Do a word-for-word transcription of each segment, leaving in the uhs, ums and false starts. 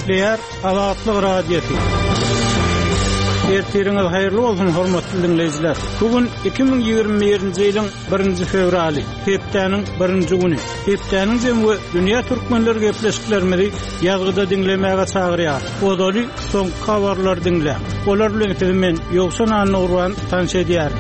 Gepleýär Azatlyk Radiosy. Ertiriňiz haýyrly bolsun, hormatly diňleýjiler. Bu gün iki müň ýigrimi birinji ýylyň birinji fewraly, hepdäniň birinji güni. Hepdäniň jemi we dünýä türkmenleri gepleşiklerimizi ýazgyda diňlemäge çagyrýar. Ozaly soňky habarlary diňläň. Olar bilen sizi men Ýowşan Annagurban tanyş edýärin.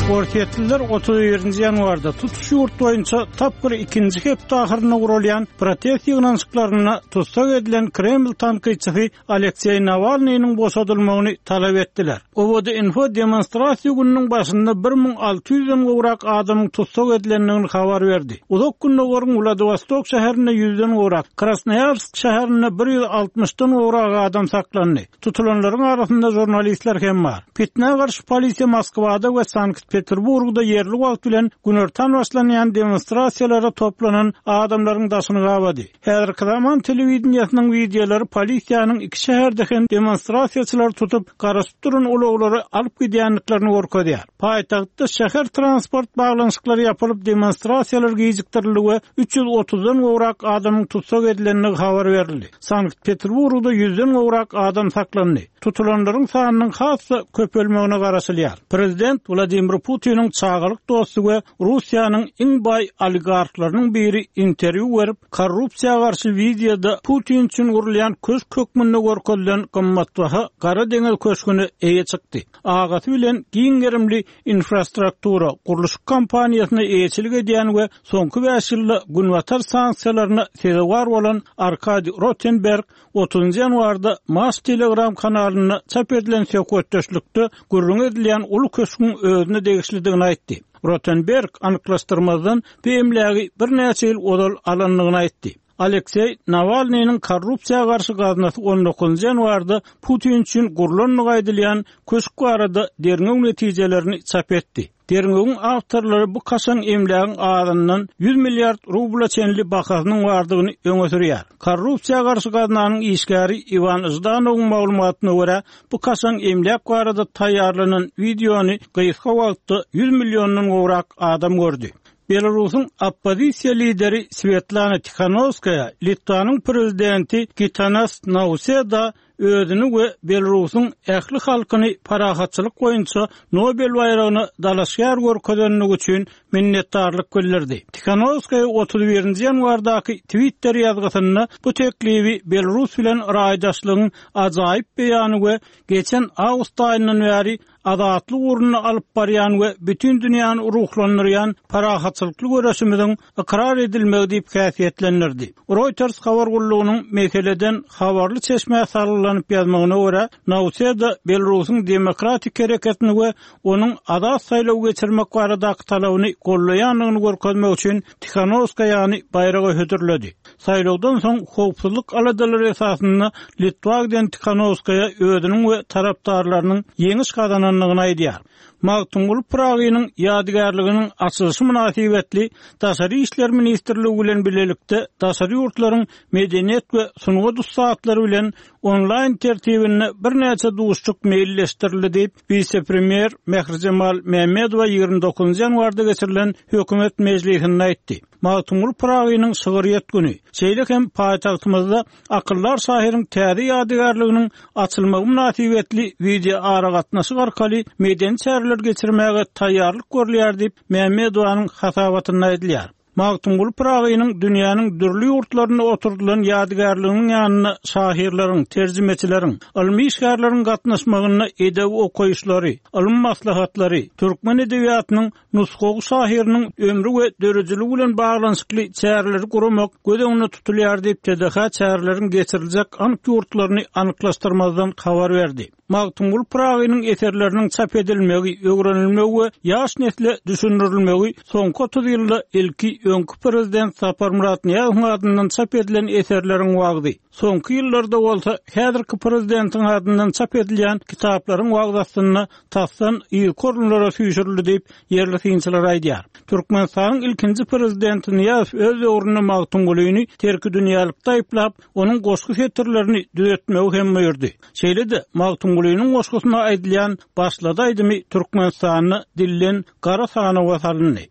Orsýetliler otuz birinji ýanwarda tutuş ýurt boýunça tapgyr ikinji hepde ahyrynda guralýan protest ýygnanyşyklarynda tussag edilen Kreml tankytçysy Alekseý Nawalnynyň boşadylmagyny talap etdiler. O V D Info demonstrasiýa gününiň başynda bir müň alty ýüzden gowrak adamyň tussag edilendigini habar berdi. Uzak Gündogaryň Wladivostok şäherinde ýüzden gowrak, Krasnoýarsk şäherinde bir ýüz altmyşdan gowrak adam saklandy. Tutulanlaryň arasynda jurnalistler hem bar. Fitnä garşy polisiýa Moskwada we Sankt-Peterburgda ýerli wagt bilen günortan başlanýan demonstrasiýalara toplanan adamlaryň daşyny gabady. Häzirki zaman telewideniýesiniň wideolary polisiýanyň iki şäherde hem demonstrasiýaçylary tutup, garaşyp duran ulaglary alyp gidýändiklerini görkezýär. Paýtagtda şäher transport baglanyşyklary ýapylyp, demonstrasiýalar gijikdirildi we üç ýüz otuzdan gowrak adamyň tussag edilendigi habar berildi. Sankt-Peterburgda ýüzden gowrak adam saklandy. Tutulanlaryň sanynyň has-da köpelmegine garaşylýar. Prezident Wladimir Putiniň çagalyk dosty we Russiýanyň iň baý oligarhlarynyň biri interwýu berip, korrupsiýa garşy wideoda Putin üçin gurulýan köşk hökmünde görkezilen gymmatbaha Gara deňiz köşgüne eýe çykdy. Agasy bilen giň gerimli infrastruktura gurluşyk kompaniýasyna eýeçilik edýän we soňky bäş ýylda günbatar sanksiýalaryna sezewar bolan Arkadiý Rotenberg otuzynjy ýanwarda Maş Telegram kanalynda çap edilen söhbetdeşlikde gürrüň edilýän uly köşgüň özüne degişlidigini aýtdy. Rotenberg anyklaşdyrmazdan bu emlägi birnäçe ýyl ozal alandygyny aýtdy. Alekseý Nawalnynyň korrupsiýa garşy gaznasy on dokuzynjy ýanwarda Putin üçin gurlandygy aýdylýan köşk barada derňew netijelerini çap etdi. Derňewiň awtorlary bu kaşaň emlägiň azyndan ýüz milliard rubla çenli bahasynyň bardygyny öňe sürýär. Korrupsiýa garşy gaznanyň işgäri Iwan Ždanowyň maglumatyna görä, bu kaşaň emläk barada taýýarlanan wideony gysga wagtda ýüz milliondan gowrak adam gördi. Belarusyň oppozisiýa lideri Svetlana Tikhanovskaya, Litwanyň prezidenti Gitanas Nauseda özüni we Belarusyň ähli halkyny parahatçylyk boýunça Nobel baýragyna dalaşgär görkezenligi üçin minnetdarlyk bildirdi. Tikhanovskaya otuz birinji ýanwardaky Twitter ýazgysynda bu teklibi Belarus bilen raýdaşlygyň ajaýyp beýany we geçen awgust aýyndan bäri azatlyk ugrunda alyp barýan we bütün dünýäni ruhlandyrýan parahatçylykly göreşimiziň ykrar edilmegi diýip häsiýetlendirdi. Reuters habar gullugynyň meseleden habarly çeşmä salgylanyp ýazmagyna görä, Nauseda Belarusyň demokratik hereketini we onuň azat saýlaw geçirmek baradaky talabyny gollaýandygyny görkezmek üçin Tikhanovskayany baýraga hödürledi. Saýlawdan soň howpsuzlyk aladalary esasynda Litwa giden Tikhanovskaya özüniň we tarapdarlarynyň ýeňiş gazanandygyny aýdýar. Magtymguly Pyragynyň ýadygärliginiň açylyşy mynasybetli Daşary İşler Ministrligi bilen birlikde daşary ýurtlaryň medeniýet we sungat ussatlary bilen onlaýn tertibinde birnäçe duşuşyk meýilleşdirildi diýip, wise-premýer Mährijemal Mämmedowa ýigrimi dokuzynjy ýanwarda geçirilen hökümet mejlisinde aýtdy. Magtymguly Pyragynyň şygryýet güni, şeýle hem paýtagtymyzda akyllar şahyryň täze ýadygärliginiň açylmagy mynasybetli wideo aragatnaşyk arkaly medeni çäreler geçirmäge taýýarlyk görülýär diýip, Mämmedowanyň hasabatynda aýdylýar. Magtymguly Pyragynyň dünýäniň dürli ýurtlarynda oturdylan ýadygärliginiň ýanynda şahyrlaryň, terjimeçileriň, ylmy işgärleriň gatnaşmagynda edebi okaýyşlary, ylym maslahatlary, türkmen edebiýatynyň nusgawy şahyrynyň ömri we döredijiligi bilen baglanyşykly çäreleri guramak göz öňünde tutulýar diýip, T D H çäreleriň geçiriljek anyk ýurtlaryny anyklaşdyrmazdan habar berdi. Magtymguly Pyragynyň eserleriniň çap edilmegi, öwrenilmegi we ýaş nesle düşündirilmegi soňky otuz ýylda ilki öňki prezident Saparmyrat Nyýazowyň adyndan çap edilen eserleriň wagzy, soňky ýyllarda bolsa häzirki prezidentiň adyndan çap edilýän kitaplaryň wagzy astynda tasdan yzky orunlara süýşürildi diýip, ýerli synçylar aýdýar. Türkmenistanyň ilkinji prezidenti Nyýazow öz döwründe Magtymgulyny terki dünýälikde aýyplap, onuň goşgy setirlerini düzetmegi hem buýurdy. Şeýle-de Magtymgulynyň goşgusyna aýdylýan başlady aýdymy Türkmenistanda dillen gara sanawa salyndy.